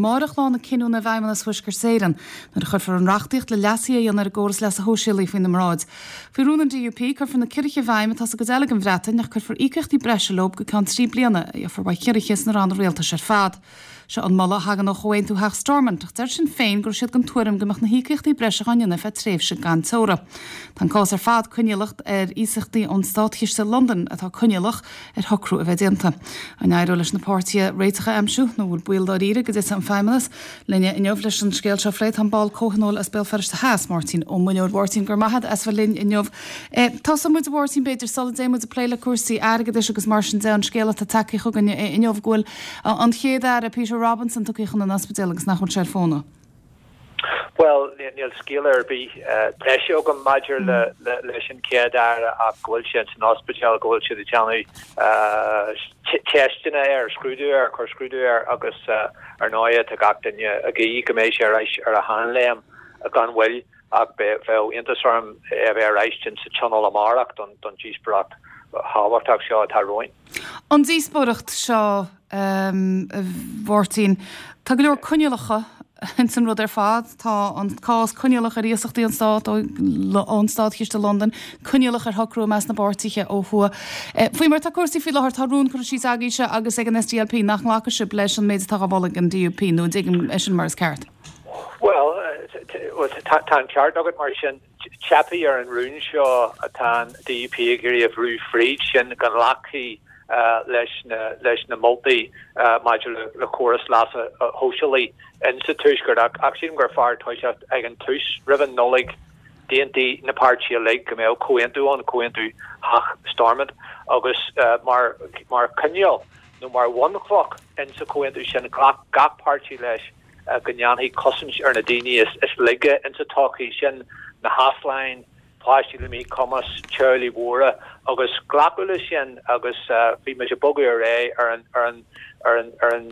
Amáireach lá na cinniúna i bhFeidhmeannas Thuaisceart Éireann nuair a chuirfear an reachtaíocht le leasuithe a dhéanamh ar an gcóras leasa shóisialaigh faoina mbráid. Faoi rún an DUP, cuirfear na ciorruithe i bhfeidhm atá sa gcuid eile den Bhreatain ach cuirfear íocaíochtaí breise leo go ceann 3 bliana a gheofar uaidh chiorruithe sna ranna rialtais ar fad. Seo an moladh a thagann ó Chomhaontú Theach Stormont ach deir Sinn Féin go raibh siad den tuairim go mbeadh na híocaíochtaí breise á ndéanamh ar feadh tréimhse gan teora. Tá an cás ar fad coinníollach ar iasachtaí ón státchiste i Londain atá coinníollach ar shocrú a bheith déanta. An éireoidh leis na páirtithe réiteach a aimsiú nó an bhfuil baol dáiríre go dtitfidh an Feidhmeannas? Linne inniu leis an scéal seo a phlé tá an ball comhthionóil as Béal Feirste Theas, Máirtín Ó Muilleoir. A Mháirtín, go raibh maith agat as bheith linn inniu. Tosóidh muid, a Mháirtín, b'fhéidir, sula dtéann muid ag plé le cúrsaí airgeadais agus mar sin de, an scéal atá tagtha chugainn inniu go bhfuil an Chéad-Aire, Peter Robinson, tugtha chun an ospidéil agus nach bhfuil sé ar fónamh. Bhuel, níl scéal ar bith breise agam maidir leis an Chéad-Aire ach go bhfuil sé san ospidéal, go bhfuil siad ag déanamh teisteanna air, scrúdú air, cur scrúdú air agus ar ndóigh tá gach duine ag guí go mbeidh sé ar ais ar a sheanléim gan mhoill ach bheadh iontas orm é a bheith ar ais sa Tionól amárach don díospóireacht thábhachtach seo atá romhainn. An díospóireacht seo, a Mháirtín, tá go leor coinníollacha ins an rud ar fad. Tá an cás coinníollach ar iasachtaí an Stát ón Státchiste i Londain, coinníollach ar shocrú i measc na bpáirtithe ó thuaidh. Faoi mar atá cúrsaí faoi láthair, tá rún curtha síos agaibhse agus ag an SDLP nach nglacfaidh sibh leis an méid atá á mholadh ag an DUP, nó an dtuigim é sin mar is ceart? Bhuel, tá an ceart agat mar sin. Teipfidh ar an rún seo atá an DUP ag iarraidh a bhrú fríd, sin go nglacfaí leis leis na moltaí maidir le córas leasa shóisialaigh insa Tuaisceart. Ach sílim gur fearr toiseacht ag an tús, roimh an Nollaig, d'aontaigh na páirtithe uilig go mbeadh comhaontú ann, comhaontú Theach Stormont, agus mar mar choinníoll nó mar bhunchloch insa chomhaontú sin, ghlac gach páirtí leis go ndéanfaí cosaint ar na daoine is laige insa tsochaí, sin na heasláin, páistí le míchumas, teaghlaigh mhóra agus glacadh leis sin agus bhí muid ag bogadh ar aghaidh ar an ar an ar an ar an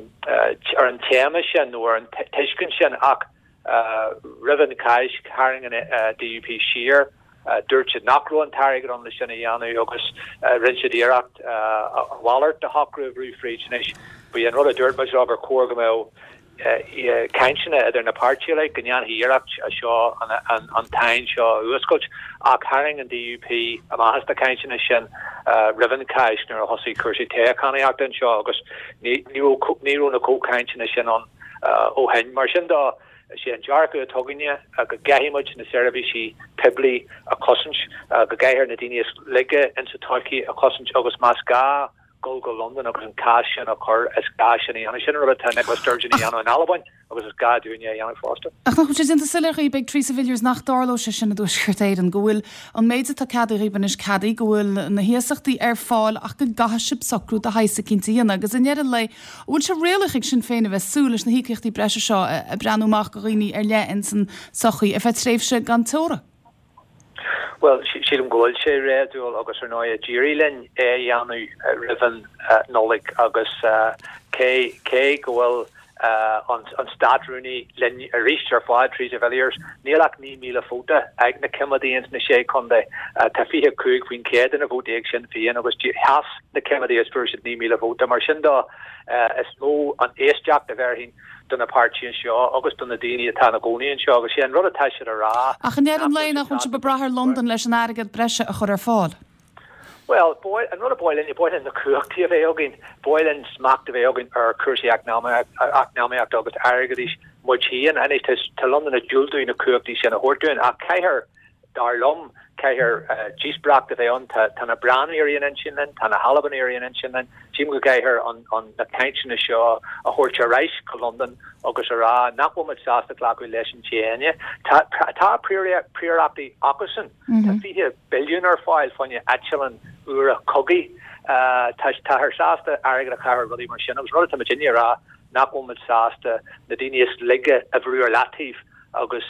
ar an téama sin nó ar an tuiscint sin ach roimh an Cháisc tharraing an DUP siar, dúirt siad nach raibh an t-airgead ann le sin a dhéanamh agus rinne siad iarracht a mhalairt de shocrú a bhrú fríd. Anois, ba é an rud a dúirt muid leo gur chóir go mbeadh cainteanna idir na páirtithe uilig, go ndéanfaí iarracht seo an tsáinn seo a fhuascailt, ach tharraing an DUP amach as na cainteanna sin roimh an Cháisc nuair a thosaigh cúrsaí toghchánaíochta anseo agus ní raibh na comhchainteanna sin ann ó shin. Mar sin de, is é an dearcadh atá againne go gcaithfidh muid na seirbhísí poiblí a chosaint, go gcaithfear na daoine is laige insa tsochaí a chosaint agus más gá dul go Londain agus an cás sin a chur, is gá sin a dhéanamh. Sin an rud atá Nicola Sturgeon a dhéanamh in Albain agus is gá dúinne a dhéanamh fosta. Ach nach bhfuil sé déanta soiléir dhaoib ag Theresa Villiers nach dtarlóidh sé sin i dTuaisceart Éireann, go bhfuil an méid atá ceadaithe dhaoib anois ceadaithe, go bhfuil na hiasachtaí ar fáil ach go gcaithfidh sibh socrú de shaghas eicínt a dhéanamh agus i ndeireadh an lae, an bhfuil sé réalaíoch ag Sinn Féin a bheith ag súil leis na híocaíochtaí breise seo ag breathnú amach do dhaoine ar leith ins an tsochaí ar feadh tréimhse gan teora? Bhuel, sílim go bhfuil sé réadúil agus ar ndóigh d'éirigh linn é a dhéanamh roimh an Nollaig agus cé cé go bhfuil an Státrúnaí linn arís ar fad, Theresa Villiers, níl ach 9,000 vóta ag na coimeádaigh ins na Sé Chontae. Tá 25% de na vótaí ag Sinn Féin agus sheas na coimeádaigh agus fuair siad 9,000 vóta. Mar sin de, is mó an éisteacht a bhéarfainn do na páirtithe anseo agus do na daoine atá ina gcónaí anseo agus sé an rud atá siad a rá Ach i ndeireadh an lae, nach bhfuil sibh ag brath ar Londain leis an airgead breise a chur ar fáil? Bhuel, an rud ab áil linn, ba mhaith linn na cumhachtaí a bheith againn, ba mhaith linn smacht a bheith againn ar chúrsaí eacnamaíochta agus airgeadais muid féin. Anois, tá Londain ag diúltú na cumhachtaí sin a thabhairt dúinn ach caithfear Dar liom, caithfear díospóireacht a bheith ann. Tá na Breatnaigh ar aon intinn linn, tá na hAlbanaigh ar aon intinn linn. Sílim go gcaithfear na cainteanna seo a thabhairt ar ais go Londain agus a rá nach bhfuil muid sásta glacadh leis an déine. Tá príorachtaí acusan. Tá 20 billiún ar fáil fá choinne eitleáin úra cogaidh. Táthar sásta airgead a chaitheamh ar rudaí mar sin agus rud atá muidinne a rá nach bhfuil muid sásta na daoine is laige a bhrú ar leataobh. agus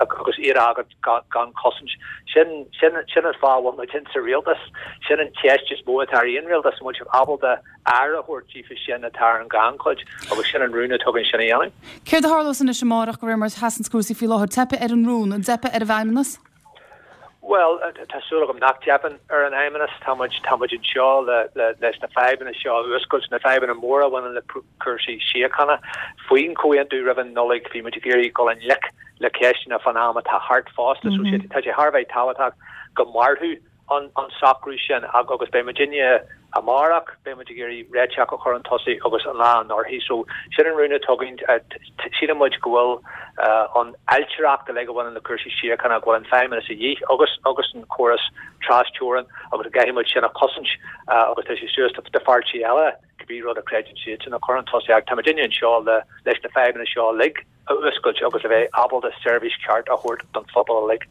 agus iad a fhágáil gan chosaint. Sin sin sin an fáth a bhfuil muid insa rialtas. Sin an cheist is mó atá ar aon rialtas, an bhfuil sibh ábalta aire a thabhairt díofa sin atá ar an ghannchuid agus sin an rún atá againn sin a dhéanamh. Céard a tharlós anois amárach de réir mar a sheasanns cúrsaí faoi láthair? Teipfidh ar an rún, an dteipfidh ar an bhFeidhmeannas? Bhuel, tá súil agam nach dteipeann ar an Fheidhmeannas. Tá muid, tá muid anseo le, le, leis na fadhbanna seo a fhuascailt, na fadhbanna móra a bhaineann le cúrsaí síochána. Faoin chomhaontú roimh an Nollaig, bhí muid ag iarraidh dul i ngleic le ceisteanna fán am atá thart fosta. So tá sé thar a bheith tábhachtach go mairfeadh an socrú sin agus beidh muidinne amárach, beidh muid ag iarraidh réiteach a chur chun tosaigh agus an lá anorthaidh. So sin an rún atá againn. Síleann muid go bhfuil an ailtireacht uilig a bhaineann le cúrsaí síochána, go bhfuil an Feidhmeannas a dhíth agus agus an córas tras-teorann agus go gcaithfidh muid sin a chosaint agus tá sé suas do pháirtí eile cibé rud a chreideann siadsan a chur chun tosaigh ach tá muidinne anseo le leis na fadhbanna seo uilig a fhuascailt agus a bheith ábalta seirbhís cheart a thabhairt don phobal uilig.